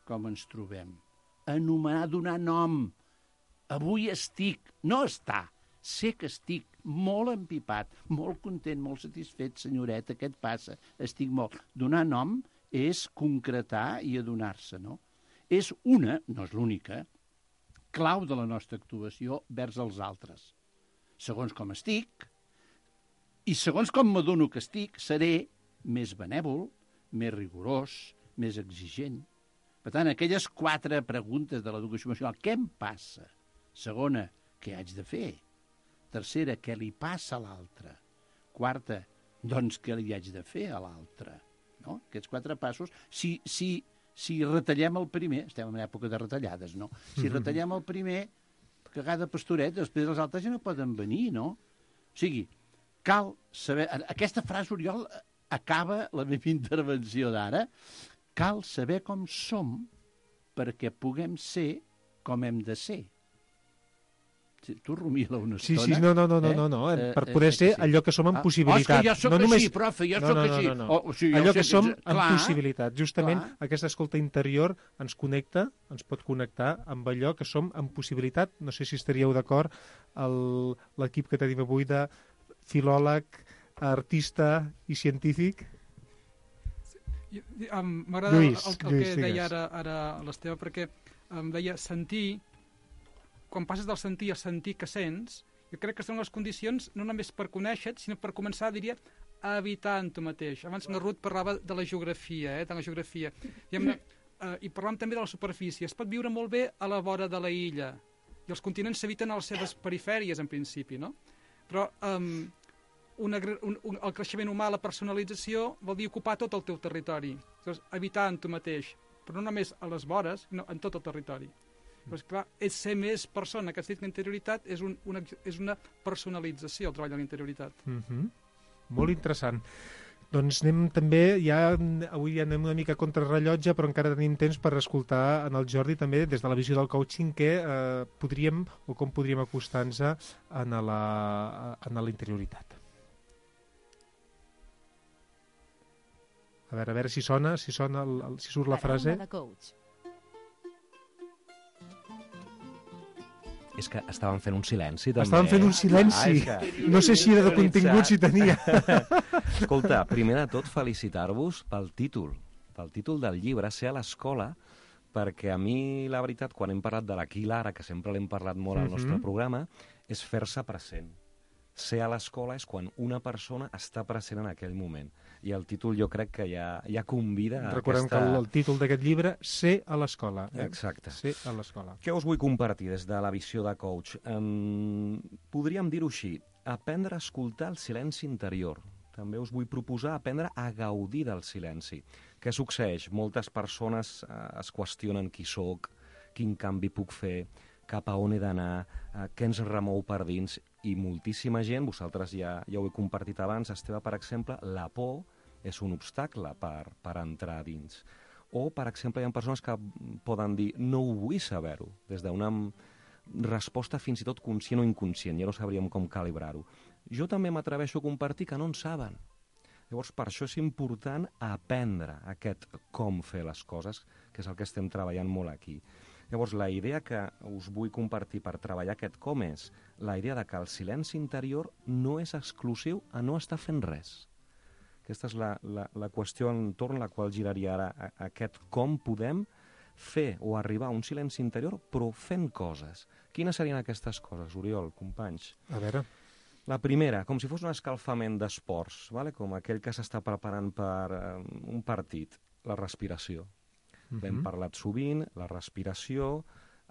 com ens trobem, anomenar, donar nom. Avui estic, no està, sé que estic molt empipat, molt content, molt satisfet, senyoreta, què et passa? Estic molt... Donar nom és concretar i adonar-se, no? És una, no és l'única, clau de la nostra actuació vers els altres. Segons com estic, i segons com m'adono que estic, seré més benèvol, més rigorós, més exigent. Per tant, aquelles 4 preguntes de l'educació emocional, què em passa? Segona, què haig de fer? Tercera, què li passa a l'altre? Quarta, doncs què li haig de fer a l'altre? No? Aquests 4 passos, si retallem el primer, estem en època de retallades, no? Si retallem el primer, cagada pastoret, després els altres ja no poden venir, no? O sigui, cal saber... Aquesta frase, Oriol, acaba la meva intervenció d'ara. Cal saber com som perquè puguem ser com hem de ser. Tu rumia-la una estona. Sí, no. Per poder ser allò que som en possibilitat. És que jo soc així, profe, jo soc així. Allò que som en possibilitat. Justament aquesta escolta interior ens connecta, ens pot connectar amb allò que som en possibilitat. No sé si estaríeu d'acord, l'equip que tenim avui de filòleg, artista i científic. M'agrada el que deia ara l'Esteve, perquè em deia sentir. Quan passes del sentir a sentir que sents, jo crec que són les condicions no només per conèixer-te, sinó per començar, diria, a habitar en tu mateix. Abans la Ruth parlava de la geografia, de la geografia. I parlàvem també de la superfície. Es pot viure molt bé a la vora de la illa, i els continents s'habiten a les seves perifèries, en principi, no? Però el creixement humà, la personalització, vol dir ocupar tot el teu territori. Llavors, habitar en tu mateix, però no només a les vores, sinó en tot el territori. Però, clar, és ser més persona, que has dit que interioritat és una personalització, el treball de la interioritat. Molt interessant. Doncs anem també, avui ja anem una mica contra rellotge, però encara tenim temps per escoltar en el Jordi també, des de la visió del coaching, com podríem acostar-nos a la interioritat. A veure si sona, si surt la frase. Paraula de coach. És que estàvem fent un silenci, també. Estàvem fent un silenci. No sé si era de contingut, si tenia. Escolta, primer de tot, felicitar-vos pel títol del llibre, Ser a l'escola, perquè a mi, la veritat, quan hem parlat de l'aquí i l'ara, que sempre l'hem parlat molt al nostre programa, és fer-se present. Ser a l'escola és quan una persona està present en aquell moment. I el títol jo crec que ja convida a Recordem que el títol d'aquest llibre, Ser a l'escola. Exacte. Ser a l'escola. Què us vull compartir des de la visió de coach? Podríem dir-ho així, aprendre a escoltar el silenci interior. També us vull proposar aprendre a gaudir del silenci. Què succeeix? Moltes persones es qüestionen qui sóc, quin canvi puc fer, cap a on he d'anar, què ens remou per dins, i moltíssima gent, vosaltres ja ho he compartit abans, Esteve, per exemple, la por és un obstacle per entrar dins. O, per exemple, hi ha persones que poden dir no ho vull saber-ho, des d'una resposta fins i tot conscient o inconscient, ja no sabríem com calibrar-ho. Jo també m'atreveixo a compartir que no en saben. Llavors, per això és important aprendre aquest com fer les coses, que és el que estem treballant molt aquí. Llavors, la idea que us vull compartir per treballar aquest com és la idea de que el silenci interior no és exclusiu a no estar fent res. Aquesta és la qüestió entorn a la qual giraria ara aquest com podem fer o arribar a un silenci interior però fent coses. Quines serien aquestes coses, Oriol, companys? A veure... La primera, com si fos un escalfament d'esports, ¿vale? Com aquell que s'està preparant per un partit, la respiració. L'hem parlat sovint, la respiració,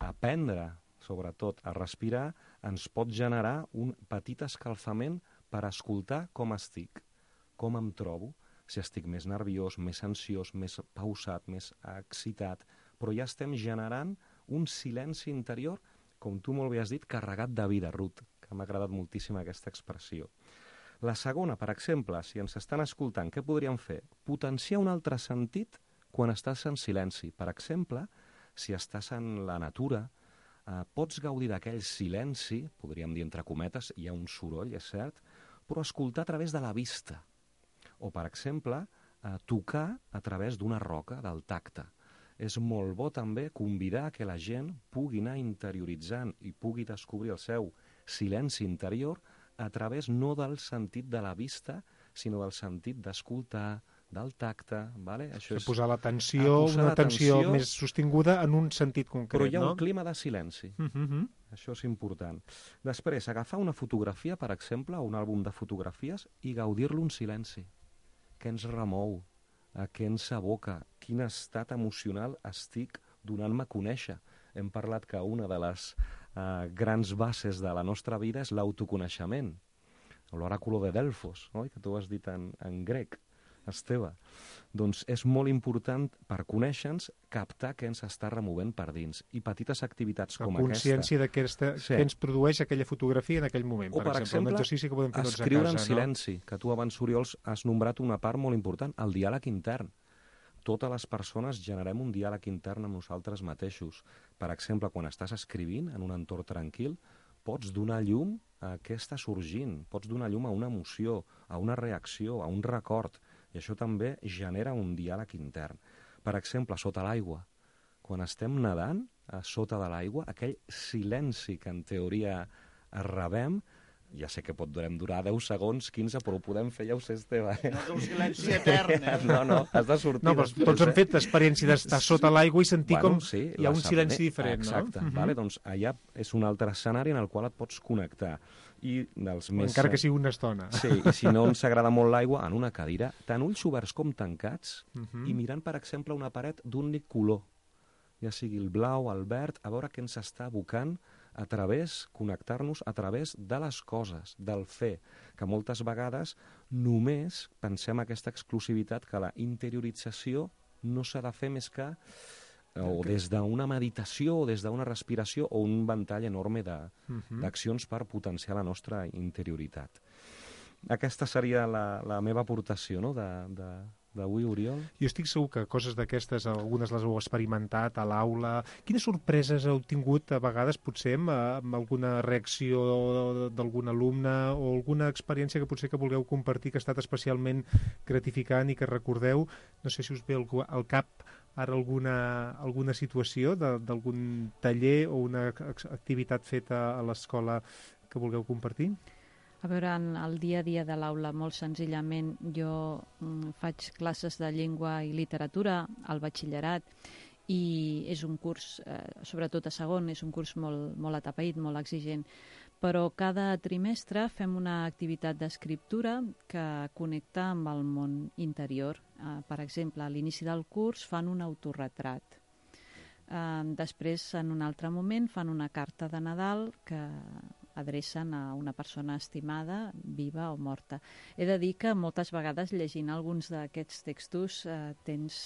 aprendre, sobretot, a respirar, ens pot generar un petit escalfament per escoltar com estic, com em trobo, si estic més nerviós, més ansiós, més pausat, més excitat, però ja estem generant un silenci interior, com tu molt bé has dit, carregat de vida, Ruth, que m'ha agradat moltíssim aquesta expressió. La segona, per exemple, si ens estan escoltant, què podríem fer? Potenciar un altre sentit quan estàs en silenci. Per exemple, si estàs en la natura, pots gaudir d'aquell silenci, podríem dir entre cometes, hi ha un soroll, és cert, però escoltar a través de la vista. O, per exemple, tocar a través d'una roca, del tacte. És molt bo també convidar que la gent pugui anar interioritzant i pugui descobrir el seu silenci interior a través no del sentit de la vista, sinó del sentit d'escoltar, del tacte, ¿vale? Això és posar l'atenció, una atenció més sostinguda en un sentit concret, però hi ha no? un clima de silenci. Això és important. Després, agafar una fotografia, per exemple, o un àlbum de fotografies, i gaudir-lo en silenci. Què ens remou? A què ens aboca? Quin estat emocional estic donant-me a conèixer? Hem parlat que una de les grans bases de la nostra vida és l'autoconeixement. L'oràculo de Delfos, oi? Que tu has dit en grec, Esteve. Doncs és molt important per conèixer-nos captar què ens està removent per dins. I petites activitats com aquesta. La consciència de què ens produeix aquella fotografia en aquell moment. O, per exemple, un exercici que podem fer tots a casa. Escriure en silenci, que tu abans, Oriol, has nombrat una part molt important, el diàleg intern. Totes les persones generem un diàleg intern amb nosaltres mateixos. Per exemple, quan estàs escrivint en un entorn tranquil, pots donar llum a què està sorgint, pots donar llum a una emoció, a una reacció, a un record, i això també genera un diàleg intern. Per exemple, sota l'aigua. Quan estem nedant, a sota de l'aigua, aquell silenci que en teoria rebem, ja sé que podem durar 10 segons, 15, però ho podem fer, ja ho sé, Esteve. No és un silenci etern, eh? No, has de sortir. No, però tots hem fet l'experiència d'estar sota l'aigua i sentir com hi ha un silenci diferent, no? Exacte, vale? Doncs allà és un altre escenari en el qual et pots connectar. I dels més... Encara que sigui una estona. Sí, i si no ens agrada molt l'aigua, en una cadira, tant ulls oberts com tancats, i mirant, per exemple, una paret d'un únic color, ja sigui el blau, el verd, a veure què ens està abocant a través, connectar-nos a través de les coses, del fer, que moltes vegades només pensem aquesta exclusivitat que la interiorització no s'ha de fer més que o des d'una meditació o des d'una respiració o un ventall enorme d'accions per potenciar la nostra interioritat. Aquesta seria la meva aportació, no?, d'avui, Oriol. Jo estic segur que coses d'aquestes, algunes les heu experimentat a l'aula. Quines sorpreses heu tingut a vegades, potser, amb alguna reacció d'algun alumne o alguna experiència que potser que vulgueu compartir que ha estat especialment gratificant i que recordeu? No sé si us ve al cap ara alguna situació d'algun taller o una activitat feta a l'escola que vulgueu compartir? A veure, en el dia a dia de l'aula, molt senzillament, jo faig classes de llengua i literatura al batxillerat i és un curs, sobretot a segon, és un curs molt atapeït, molt exigent, però cada trimestre fem una activitat d'escriptura que connecta amb el món interior. Per exemple, a l'inici del curs fan un autorretrat. Després, en un altre moment, fan una carta de Nadal que adrecen a una persona estimada, viva o morta. He de dir que moltes vegades llegint alguns d'aquests textos tens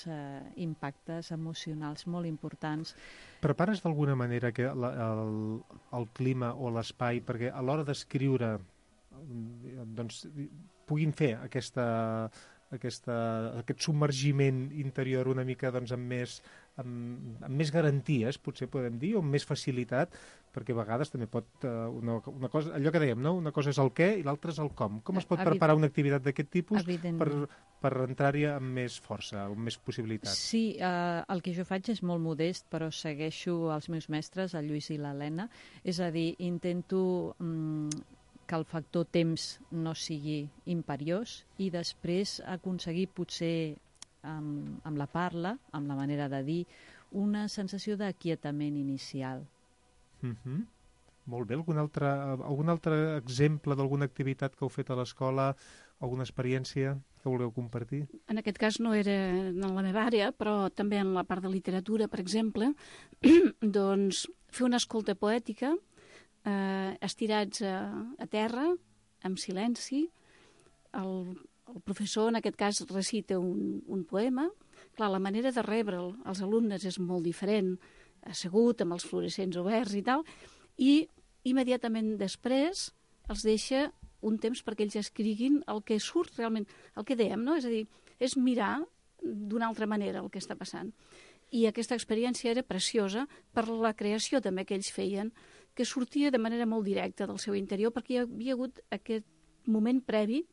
impactes emocionals molt importants. Prepares d'alguna manera que el clima o l'espai perquè a l'hora d'escriure doncs, puguin fer aquesta aquest submergiment interior una mica doncs, amb més garanties, potser podem dir, o amb més facilitat, perquè a vegades també pot... una cosa, allò que dèiem, no? Una cosa és el què i l'altra és el com. Com es pot preparar una activitat d'aquest tipus per entrar-hi amb més força, amb més possibilitats? Sí, el que jo faig és molt modest, però segueixo els meus mestres, el Lluís i l'Helena. És a dir, intento que el factor temps no sigui imperiós i després aconseguir potser amb la parla, amb la manera de dir, una sensació d'aquietament inicial. Molt bé. Algun altre exemple d'alguna activitat que heu fet a l'escola, alguna experiència que vulgueu compartir? En aquest cas no era en la meva àrea, però també en la part de literatura, per exemple, doncs fer una escolta poètica, estirats a terra, amb silenci. El professor, en aquest cas, recita un poema. Clar, la manera de rebre'l als alumnes és molt diferent, assegut, amb els fluorescents oberts i tal, i immediatament després els deixa un temps perquè ells escriguin el que surt realment, el que dèiem, no? És a dir, és mirar d'una altra manera el que està passant. I aquesta experiència era preciosa per la creació també que ells feien, que sortia de manera molt directa del seu interior, perquè hi havia hagut aquest moment previ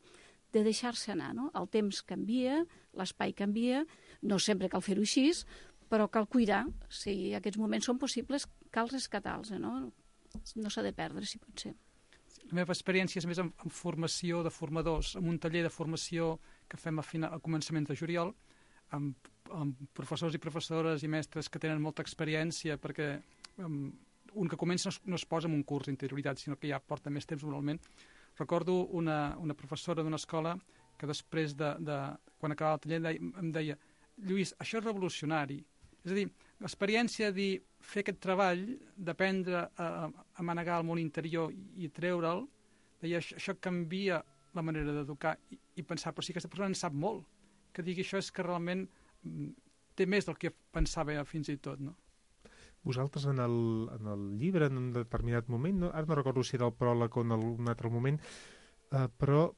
de deixar-se anar, no? El temps canvia, l'espai canvia, no sempre cal fer-ho així, però cal cuidar. Si aquests moments són possibles, cal rescatar-los, no? No s'ha de perdre, si pot ser. La meva experiència és més en formació de formadors, en un taller de formació que fem a començaments de juliol, amb professors i professores i mestres que tenen molta experiència, perquè un que comença no es posa en un curs d'interioritat, sinó que ja porta més temps normalment. Recordo una professora d'una escola que després quan acabava el taller em deia: Lluís, això és revolucionari. És a dir, l'experiència de fer aquest treball, d'aprendre a manegar el món interior i treure'l, deia, això canvia la manera d'educar i pensar, però si aquesta persona en sap molt, que digui això és que realment té més del que pensava fins i tot, no? Vosaltres en el llibre, en un determinat moment, ara no recordo si era el pròleg o en un altre moment, però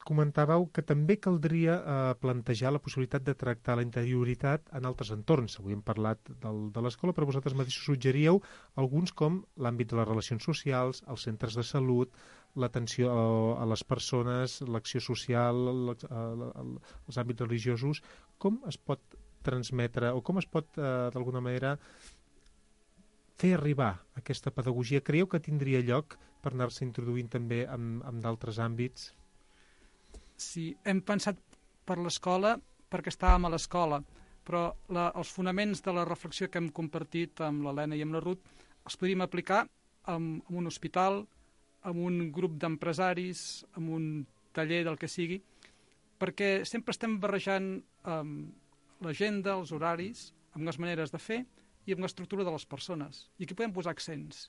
comentàveu que també caldria plantejar la possibilitat de tractar la interioritat en altres entorns. Avui hem parlat de l'escola, però vosaltres mateixos suggeríeu alguns com l'àmbit de les relacions socials, els centres de salut, l'atenció a les persones, l'acció social, els àmbits religiosos. Com es pot transmetre o com es pot, d'alguna manera, fer arribar aquesta pedagogia? Creieu que tindria lloc per anar-se introduint també en d'altres àmbits? Sí, hem pensat per l'escola perquè estàvem a l'escola, però els fonaments de la reflexió que hem compartit amb l'Helena i amb la Ruth els podríem aplicar en un hospital, en un grup d'empresaris, en un taller del que sigui, perquè sempre estem barrejant l'agenda, els horaris, amb les maneres de fer i amb l'estructura de les persones. I aquí podem posar accents.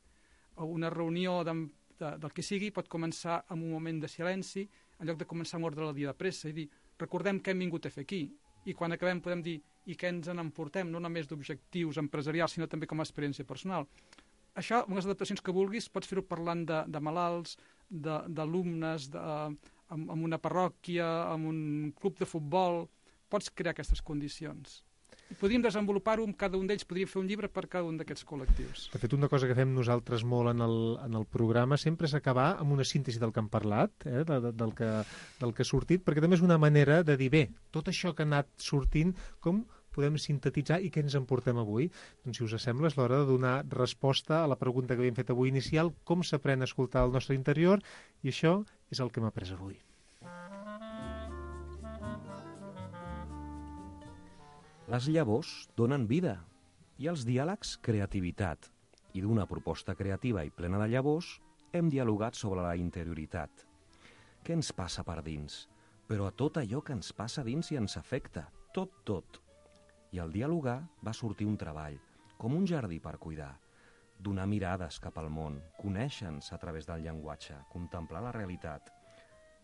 Una reunió del que sigui pot començar amb un moment de silenci, en lloc de començar amb ordre del dia de pressa, i dir, recordem què hem vingut a fer aquí, i quan acabem podem dir, i què ens n'emportem, no només d'objectius empresarials, sinó també com a experiència personal. Això, amb les adaptacions que vulguis, pots fer-ho parlant de malalts, d'alumnes, amb una parròquia, amb un club de futbol, pots crear aquestes condicions. I podríem desenvolupar-ho amb cada un d'ells, podríem fer un llibre per cada un d'aquests col·lectius. De fet, una cosa que fem nosaltres molt en el programa sempre és acabar amb una síntesi del que hem parlat, del que ha sortit, perquè també és una manera de dir, bé, tot això que ha anat sortint, com podem sintetitzar i què ens en portem avui? Doncs, si us sembla, és l'hora de donar resposta a la pregunta que havíem fet avui inicial, com s'aprèn a escoltar el nostre interior, i això és el que hem après avui. Les llavors donen vida i els diàlegs creativitat. I d'una proposta creativa i plena de llavors hem dialogat sobre la interioritat. Què ens passa per dins? Però a tot allò que ens passa dins i ens afecta, tot. I al dialogar va sortir un treball, com un jardí per cuidar, donar mirades cap al món, conèixer-nos a través del llenguatge, contemplar la realitat,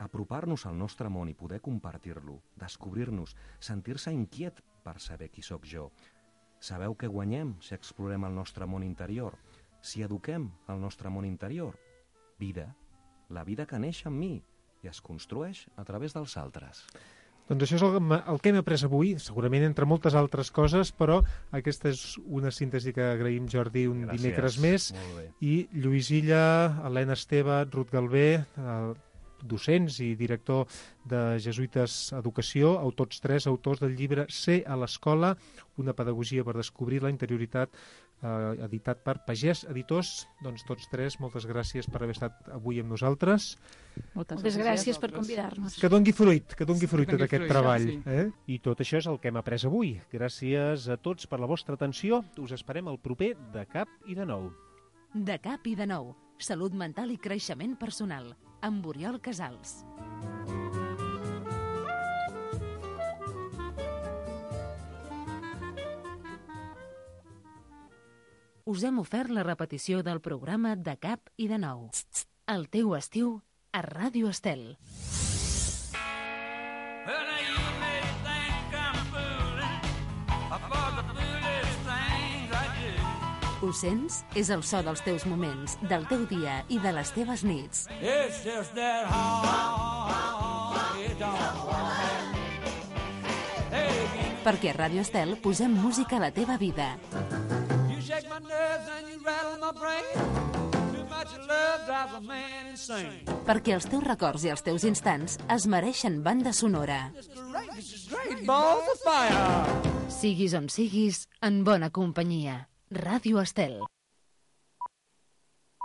apropar-nos al nostre món i poder compartir-lo, descobrir-nos, sentir-se inquiet per saber qui sóc jo. Sabeu què guanyem si explorem el nostre món interior? Si eduquem el nostre món interior? Vida, la vida que neix en mi i es construeix a través dels altres. Doncs això és el que hem après avui, segurament entre moltes altres coses, però aquesta és una síntesi que agraïm, Jordi, un dimecres més. I Lluís Illa, Helena Esteve, Ruth Galvé, docents i director de Jesuïtes Educació, tots tres autors del llibre Ser a l'escola, una pedagogia per descobrir la interioritat, editat per Pagès Editors. Doncs tots tres, moltes gràcies per haver estat avui amb nosaltres. Moltes gràcies per convidar-nos. Que dongui fruit d'aquest treball. I tot això és el que hem après avui. Gràcies a tots per la vostra atenció. Us esperem el proper De Cap i de Nou. De Cap i de Nou. Salut mental i creixement personal. Amb Oriol Casals. Us hem ofert la repetició del programa De Cap i de Nou. El teu estiu a Ràdio Estel. Ho sents? És el so dels teus moments, del teu dia i de les teves nits. Perquè a Ràdio Estel posem música a la teva vida. Perquè els teus records i els teus instants es mereixen banda sonora. Siguis on siguis, en bona companyia. Ràdio Estel.